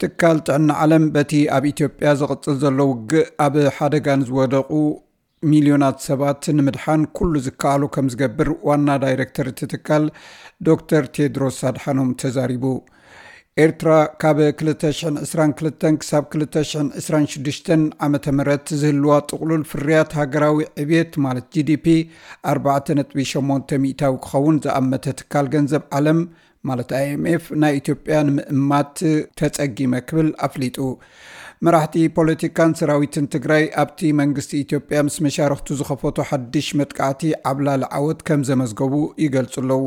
ትካል ጥዕና ዓለም በቲ ኣብ ኢትዮጵያ ዝቕጽል ዘሎ ውግእ ኣብ ሓደጋ ንዝወደቑ ሚልዮናት ሰባት ንምድሓን ኩሉ ዝከኣሎ ከም ዝገብር ዋና ዳይሬክተር እቲ ትካል ዶክተር ቴድሮስ ኣድሓኖም ተዛሪቡ። ኤርትራ ካብ ክልተ ሽሕን ዕስራን ክልተን ክሳብ ክልተ ሽሕን ዕስራን ሽዱሽተን ዓመተ ምህረት ዝህልዋ ጥቕሉል ፍርያት ሃገራዊ ዕብየት ማለት ጂ ዲ ፒ ኣርባዕተ ነጥቢ ሸሞንተ ሚእታዊ ክኸውን ዝኣመተ ትካል ገንዘብ ዓለም ማለት ኣይ ኤም ኤፍ ናይ ኢትዮጵያ ንምእማት ተጸጊመ ክብል ኣፍሊጡ። መራሕቲ ፖለቲካን ሰራዊትን ትግራይ ኣብቲ መንግስቲ ኢትዮጵያ ምስ መሻርኽቱ ዝኸፈቶ ሓድሽ መጥቃዕቲ ዓብላሊ ዓወት ከም ዘመዝገቡ ይገልጹ ኣለዉ።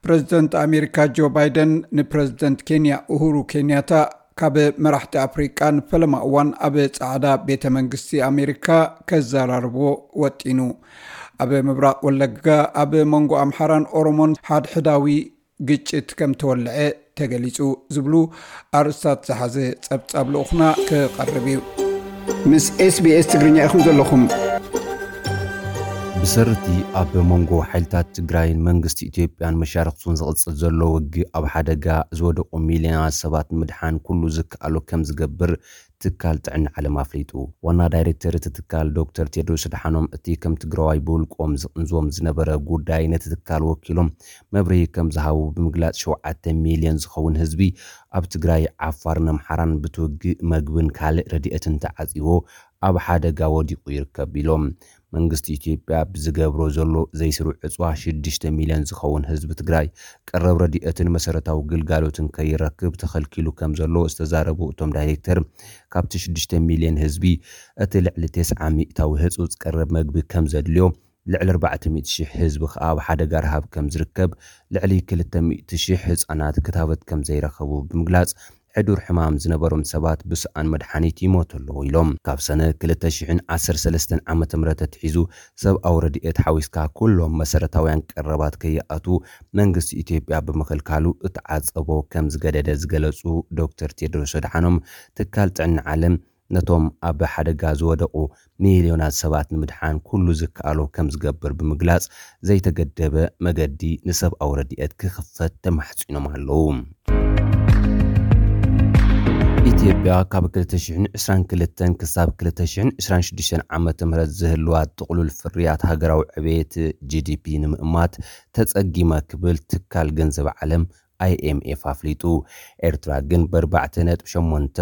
ፕረዚደንት ኣሜሪካ ጆ ባይደን ንፕረዚደንት ኬንያ ኡሁሩ ኬንያታ ካብ መራሕቲ ኣፍሪቃ ንፈለማ እዋን ኣብ ጻዕዳ ቤተ መንግስቲ ኣሜሪካ ከዘራርቦ ወጢኑ። ኣብ ምብራቕ ወለጋ ኣብ መንጎ ኣምሓራን ኦሮሞን ሓድሕዳዊ ግጭት ከም ተወልዐ ተገሊጹ ዝብሉ ኣርእስታት ዝሓዘ ጸብጻብ ልኡኽና ክቐርብ እዩ። ምስ ኤስ ቢ ኤስ ትግርኛ ኢኹም ዘለኹም። ብሰርቲ ኣብ መንጎ ሓይልታት ትግራይን መንግስቲ ኢትዮጵያን መሻርኽቱን ዝቕጽል ዘሎ ውግእ ኣብ ሓደጋ ዝወደቑ ሚልዮናት ሰባት ንምድሓን ኩሉ ዝከኣሎ ከም ዝገብር ትካል ጥዕና ዓለም ኣፍሊጡ። ዋና ዳይሬክተር እቲ ትካል ዶክተር ቴድሮስ ኣድሓኖም እቲ ከም ትግራዋይ ብውልቆም ዝቕንዝዎም ዝነበረ ጉዳይ ነቲ ትካል ወኪሎም መብርሂ ከም ዝሃቡ ብምግላጽ ሸውዓተ ሚልዮን ዝኸውን ህዝቢ ኣብ ትግራይ፣ ዓፋርን ኣምሓራን ብትውግእ መግብን ካልእ ረድኤትን ተዓጺዎ ኣብ ሓደጋ ወዲቑ ይርከብ ኢሎም። መንግስቲ ኢትዮጵያ ብዝገብሮ ዘሎ ዘይስሩዕ ዕጽዋ ሽዱሽተ ሚልዮን ዝኸውን ህዝቢ ትግራይ ቀረብ ረድኤትን መሰረታዊ ግልጋሎትን ከይረክብ ተኸልኪሉ ከም ዘሎ ዝተዛረቡ እቶም ዳይሬክተር፣ ካብቲ ሽዱሽተ ሚልዮን ህዝቢ እቲ ልዕሊ ተስዓ ሚእታዊ ህጹጽ ቀረብ መግቢ ከም ዘድልዮ፣ ልዕሊ ኣርባዕተ ሚእቲ ሽሕ ህዝቢ ከኣ ኣብ ሓደጋ ረሃብ ከም ዝርከብ፣ ልዕሊ ክልተ ሚእቲ ሽሕ ህጻናት ክታበት ከም ዘይረኸቡ ብምግላጽ፣ ሕዱር ሕማም ዝነበሮም ሰባት ብሰኣን መድሓኒት ይሞቱ ኣለዉ ኢሎም። ካብ ሰነ ክልተ ሽሕን ዓሰርተ ሰለስተን ዓመተ ምህረት ኣትሒዙ ሰብኣዊ ረድኤት ሓዊስካ ኩሎም መሰረታውያን ቀረባት ከይኣትዉ መንግስቲ ኢትዮጵያ ብምኽልካሉ እተዓጸቦ ከም ዝገደደ ዝገለጹ ዶክተር ቴድሮስ ኣድሓኖም፣ ትካል ጥዕና ዓለም ነቶም ኣብ ሓደጋ ዝወደቑ ሚልዮናት ሰባት ንምድሓን ኩሉ ዝከኣሎ ከም ዝገብር ብምግላጽ፣ ዘይተገደበ መገዲ ንሰብኣዊ ረድኤት ክኽፈት ተማሕጺኖም ኣለዉ። ኢትዮጵያ ካብ ክልተ ሽሕን ዕስራን ክልተን ክሳብ ክልተ ሽሕን ዕስራን ሽዱሽተን ዓመተ ምህረት ዝህልዋ ጥቕሉል ፍርያት ሃገራዊ ዕብየት ጂ ዲ ፒ ንምእማት ተጸጊመ ክብል ትካል ገንዘብ ዓለም ኣይ ኤም ኤፍ ኣፍሊጡ። ኤርትራ ግን ብኣርባዕተ ነጥቢ ሸሞንተ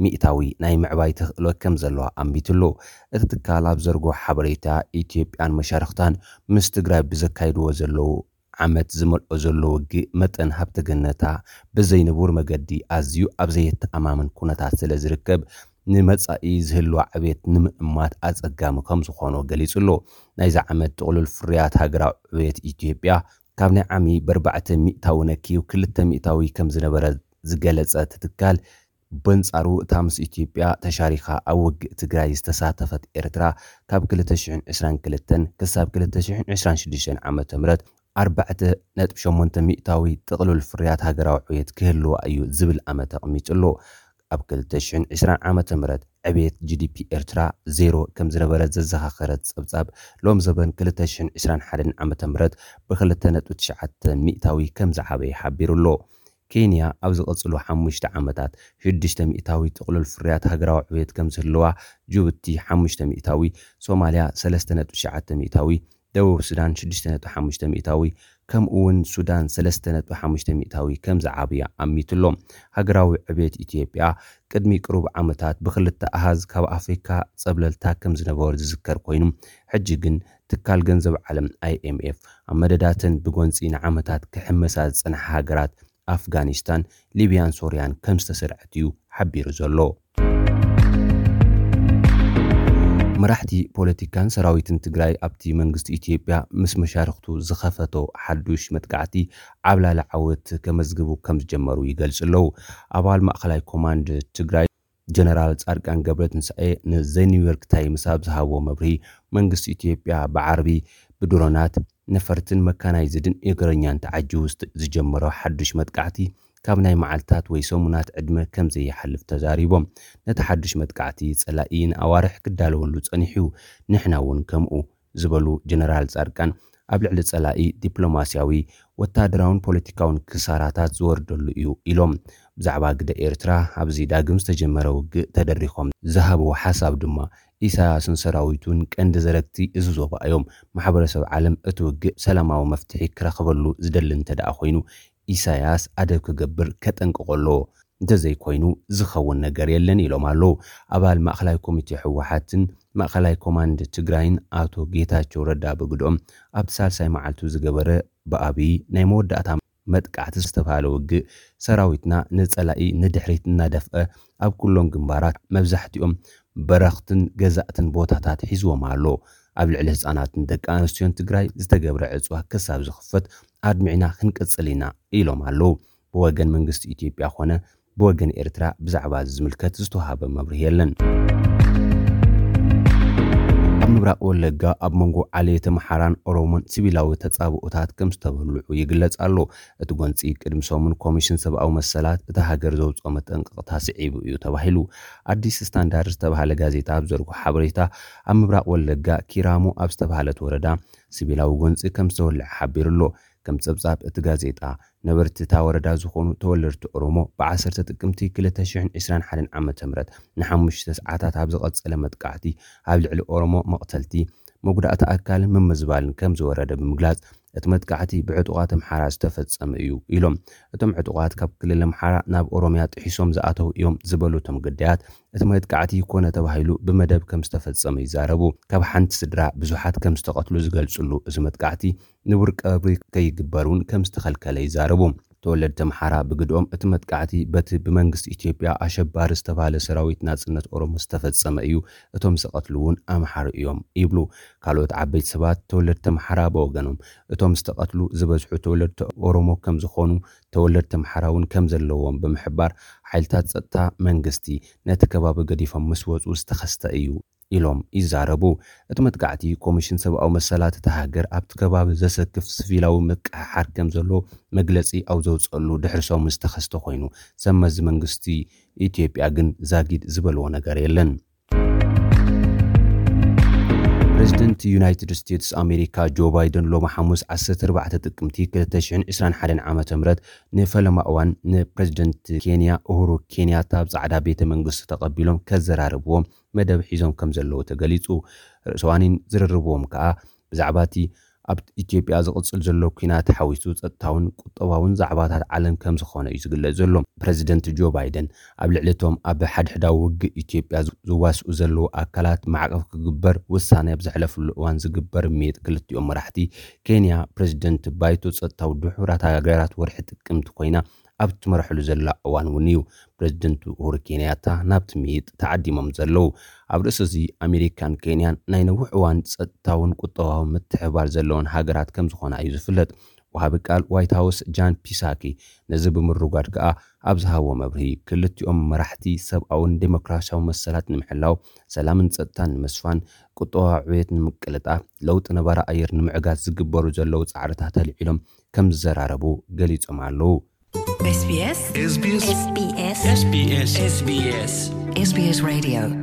ሚእታዊ ናይ ምዕባይ ተኽእሎ ከም ዘለዋ ኣንቢትሉ። እቲ ትካል ኣብ ዘርግሖ ሓበሬታ፣ ኢትዮጵያን መሻርኽታን ምስ ትግራይ ብዘካይድዎ ዘለዉ ዓመት ዝመልኦ ዘሎ ውግእ መጠን ሃብተ ገነታ ብዘይንቡር መገዲ ኣዝዩ ኣብ ዘየተኣማምን ኩነታት ስለ ዝርከብ፣ ንመጻኢ ዝህልዋ ዕብየት ንምእማት ኣጸጋሚ ከም ዝኾኖ ገሊጹ ኣሎ። ናይዚ ዓመት ጥቕሉል ፍርያት ሃገራዊ ዕብየት ኢትዮጵያ ካብ ናይ ዓሚ ብኣርባዕተ ሚእታዊ ነክዩ ክልተ ሚእታዊ ከም ዝነበረ ዝገለጸ እቲ ትካል፣ በንጻሩ እታ ምስ ኢትዮጵያ ተሻሪኻ ኣብ ውግእ ትግራይ ዝተሳተፈት ኤርትራ ካብ ክልተ ሽሕን ዕስራን ክልተን ክሳብ ክልተ ሽሕን ዕስራን ሽዱሽተን ዓመተ ምህረት ኣርባዕተ ነጥቢ ሸሞንተ ሚእታዊ ጥቕሉል ፍርያት ሃገራዊ ዕብየት ክህልዋ እዩ ዝብል ኣመት ኣቕሚጡ ኣሎ። ኣብ ክልተ ሽሕን ዕስራን ዓመተ ምህረት ዕብየት ጂ ዲ ፒ ኤርትራ ዜሮ ከም ዝነበረ ዘዘኻኸረ እቲ ጸብጻብ፣ ሎም ዘበን ክልተ ሽሕን ዕስራን ሓደን ዓመተ ምህረት ብክልተ ነጥቢ ትሽዓተ ሚእታዊ ከም ዝዓበየ ሓቢሩ ኣሎ። ኬንያ ኣብ ዝቐጽሉ ሓሙሽተ ዓመታት ሽዱሽተ ሚእታዊ ጥቕሉል ፍርያት ሃገራዊ ዕብየት ከም ዝህልዋ፣ ጅቡቲ ሓሙሽተ ሚእታዊ፣ ሶማልያ ሰለስተ ነጥቢ ትሽዓተ ሚእታዊ፣ ደቡብ ሱዳን ሽዱሽተ ነጥቢ ሓሙሽተ ሚእታዊ፣ ከምኡ እውን ሱዳን ሰለስተ ነጥቢ ሓሙሽተ ሚእታዊ ከም ዝዓብያ ኣሚቱ ኣሎ። ሃገራዊ ዕብየት ኢትዮጵያ ቅድሚ ቅሩብ ዓመታት ብክልተ ኣሃዝ ካብ ኣፍሪካ ጸብለልታ ከም ዝነበሩ ዝዝከር ኮይኑ፣ ሕጂ ግን ትካል ገንዘብ ዓለም ኣይ ኤም ኤፍ ኣብ መደዳተን ብጎንጺ ንዓመታት ክሕመሳ ዝጸንሓ ሃገራት ኣፍጋኒስታን፣ ሊብያን ሶርያን ከም ዝተሰርዐት እዩ ሓቢሩ ዘሎ። መራሕቲ ፖለቲካን ሰራዊትን ትግራይ ኣብቲ መንግስቲ ኢትዮጵያ ምስ መሻርኽቱ ዝኸፈቶ ሓዱሽ መጥቃዕቲ ዓብላሊ ዓወት ከመዝግቡ ከም ዝጀመሩ ይገልጹ ኣለዉ። ኣባል ማእኸላይ ኮማንድ ትግራይ ጀነራል ጻድቃን ገብረትንሳኤ ንዘ ኒውዮርክ ታይምስ ኣብ ዝሃብዎ መብርሂ፣ መንግስቲ ኢትዮጵያ ብዓርቢ ብድሮናት፣ ነፈርትን መካናይዝድን እግረኛን ተዓጂቡ ዝጀመሮ ሓዱሽ መጥቃዕቲ ካብ ናይ መዓልታት ወይ ሰሙናት ዕድመ ከም ዘይሓልፍ ተዛሪቦም። ነቲ ሓዱሽ መጥቃዕቲ ጸላኢ ንኣዋርሕ ክዳለወሉ ጸኒሑ እዩ፣ ንሕና እውን ከምኡ ዝበሉ ጀነራል ጻድቃን፣ ኣብ ልዕሊ ጸላኢ ዲፕሎማስያዊ፣ ወታደራውን ፖለቲካውን ክሳራታት ዝወርደሉ እዩ ኢሎም። ብዛዕባ ግደ ኤርትራ ኣብዚ ዳግም ዝተጀመረ ውግእ ተደሪኾም ዝሃብዎ ሓሳብ ድማ፣ ኢሳያስን ሰራዊቱን ቀንዲ ዘረግቲ እዚ ዞባ እዮም። ማሕበረሰብ ዓለም እቲ ውግእ ሰላማዊ መፍትሒ ክረኽበሉ ዝደሊ እንተ ደኣ ኮይኑ፣ ኢሳያስ ኣደብ ክገብር ከጠንቅቖ ኣለዎ። እንተዘይኮይኑ ዝኸውን ነገር የለን ኢሎም ኣለዉ። ኣባል ማእኸላይ ኮሚቴ ህወሓትን ማእኸላይ ኮማንድ ትግራይን ኣቶ ጌታቸው ረዳ ብግድኦም፣ ኣብቲ ሳልሳይ መዓልቱ ዝገበረ ብኣብዪ ናይ መወዳእታ መጥቃዕቲ ዝተባህለ ውግእ፣ ሰራዊትና ንጸላኢ ንድሕሪት እናደፍአ ኣብ ኩሎም ግንባራት መብዛሕትኦም በረኽትን ገዛእትን ቦታታት ሒዝዎም ኣሎ። ኣብ ልዕሊ ህፃናትን ደቂ ኣንስትዮን ትግራይ ዝተገብረ ዕፅዋ ክሳብ ዝኽፈት ኣድሚዕና ክንቅፅል ኢና ኢሎም ኣለዉ። ብወገን መንግስቲ ኢትዮጵያ ኮነ ብወገን ኤርትራ ብዛዕባ እዚ ዝምልከት ዝተዋሃበ መብርሂ የለን። ኣብ ምብራቕ ወለጋ ኣብ መንጎ ዓሌት ኣምሓራን ኦሮሞን ሲቪላዊ ተጻብኦታት ከም ዝተበልዑ ይግለጽ ኣሎ። እቲ ጎንጺ ቅድሚ ሰሙን ኮሚሽን ሰብኣዊ መሰላት እታ ሃገር ዘውጽኦ መጠንቀቕታ ስዒቡ እዩ ተባሂሉ። ኣዲስ ስታንዳርድ ዝተባህለ ጋዜጣ ኣብ ዘርግሖ ሓበሬታ፣ ኣብ ምብራቕ ወለጋ ኪራሙ ኣብ ዝተባህለት ወረዳ ሲቪላዊ ጎንጺ ከም ዝተወልዐ ሓቢሩ ኣሎ። ከም ጸብጻብ እቲ ጋዜጣ፣ ነበርቲ እታ ወረዳ ዝኾኑ ተወለድቲ ኦሮሞ፣ ብ10 ጥቅምቲ ክልተ ሽሕን ዕስራን ሓደን ዓመተ ምህረት ንሓሙሽተ ሰዓታት ኣብ ዝቐጸለ መጥቃዕቲ፣ ኣብ ልዕሊ ኦሮሞ መቕተልቲ፣ መጉዳእቲ ኣካልን ምምዝባልን ከም ዝወረደ ብምግላጽ፣ እቲ መጥቃዕቲ ብዕጡቓት ኣምሓራ ዝተፈጸመ እዩ ኢሎም። እቶም ዕጡቓት ካብ ክልል ኣምሓራ ናብ ኦሮምያ ጥሒሶም ዝኣተው እዮም ዝበሉ እቶም ግዳያት፣ እቲ መጥቃዕቲ ኮነ ተባሂሉ ብመደብ ከም ዝተፈጸመ ይዛረቡ። ካብ ሓንቲ ስድራ ብዙሓት ከም ዝተቐትሉ ዝገልጽሉ እዚ መጥቃዕቲ፣ ንቡር ቀብሪ ከይግበር እውን ከም ዝተኸልከለ ይዛረቡ። ተወለድቲ ኣምሓራ ብግድኦም፣ እቲ መጥቃዕቲ በቲ ብመንግስቲ ኢትዮጵያ ኣሸባሪ ዝተባህለ ሰራዊት ናጽነት ኦሮሞ ዝተፈጸመ እዩ፣ እቶም ዝቐትሉ እውን ኣምሓሩ እዮም ይብሉ። ካልኦት ዓበይቲ ሰባት ተወለድቲ ኣምሓራ ብወገኖም፣ እቶም ዝተቐትሉ ዝበዝሑ ተወለድቲ ኦሮሞ ከም ዝኾኑ፣ ተወለድቲ ኣምሓራ እውን ከም ዘለዎም ብምሕባር፣ ሓይልታት ጸጥታ መንግስቲ ነቲ ከባቢ ገዲፎም ምስ ወጹ ዝተኸስተ እዩ ኢሎም ይዛረቡ። እቲ መጥቃዕቲ፣ ኮሚሽን ሰብኣዊ መሰላት እታ ሃገር ኣብቲ ከባቢ ዘሰክፍ ሲቪላዊ ምቅሕሓር ከም ዘሎ መግለጺ ኣብ ዘውጸሉ ድሕሪ ሰሙን ዝተኸስተ ኮይኑ፣ ሰብ መዚ መንግስቲ ኢትዮጵያ ግን ዛጊድ ዝበልዎ ነገር የለን። ፕሬዚደንት ዩናይትድ ስቴትስ ኣሜሪካ ጆ ባይደን ሎሚ ሓሙስ ዓሰርተ ኣርባዕተ ጥቅምቲ ክልተ ሽሕን ዕስራን ሓደን ዓመተ ምህረት ንፈለማ እዋን ንፕሬዚደንት ኬንያ ኡሁሩ ኬንያታ ኣብ ጻዕዳ ቤተ መንግስቲ ተቐቢሎም ከዘራርብዎም መደብ ሒዞም ከም ዘለዉ ተገሊጹ። ርእሰ ዋኒን ዝርርብዎም ከኣ ብዛዕባ እቲ ኣብ ኢትዮጵያ ዝቕጽል ዘሎ ኲናት ሓዊሱ ጸጥታውን ቁጠባውን ዛዕባታት ዓለም ከም ዝኾነ እዩ ዝግለጽ ዘሎ። ፕረዚደንት ጆ ባይደን ኣብ ልዕሊ እቶም ኣብ ሓድሕዳዊ ውግእ ኢትዮጵያ ዝዋስኡ ዘለዉ ኣካላት ማዕቀብ ክግበር ውሳነ ኣብ ዘሕለፍሉ እዋን ዝግበር ምይጥ ክልቲኦም መራሕቲ፣ ኬንያ ፕረዚደንት ባይቶ ጸጥታዊ ድሑራት ሃገራት ወርሒ ጥቅምቲ ኮይና ኣብ ትመርሐሉ ዘላ እዋን እውን እዩ ፕረዚደንት ኡሁሩ ኬንያታ ናብቲ ምይጥ ተዓዲሞም ዘለዉ። ኣብ ርእሲ እዚ፣ ኣሜሪካን ኬንያን ናይ ነዊሕ እዋን ጸጥታውን ቁጠባዊ ምትሕብባር ዘለወን ሃገራት ከም ዝኾና እዩ ዝፍለጥ። ወሃቢ ቃል ዋይት ሃውስ ጃን ፒሳኪ ነዚ ብምርጓድ ከኣ ኣብ ዝሃቦ መብርሂ፣ ክልቲኦም መራሕቲ ሰብኣውን ዴሞክራሲያዊ መሰላት ንምሕላው፣ ሰላምን ጸጥታን ንምስፋን፣ ቁጠባዊ ዕብየት ንምቅልጣፍ፣ ለውጢ ነባሪ ኣየር ንምዕጋት ዝግበሩ ዘለዉ ጻዕርታት ኣልዒሎም ከም ዝዘራረቡ ገሊጾም ኣለዉ። SBS SBS SBS SBS SBS Radio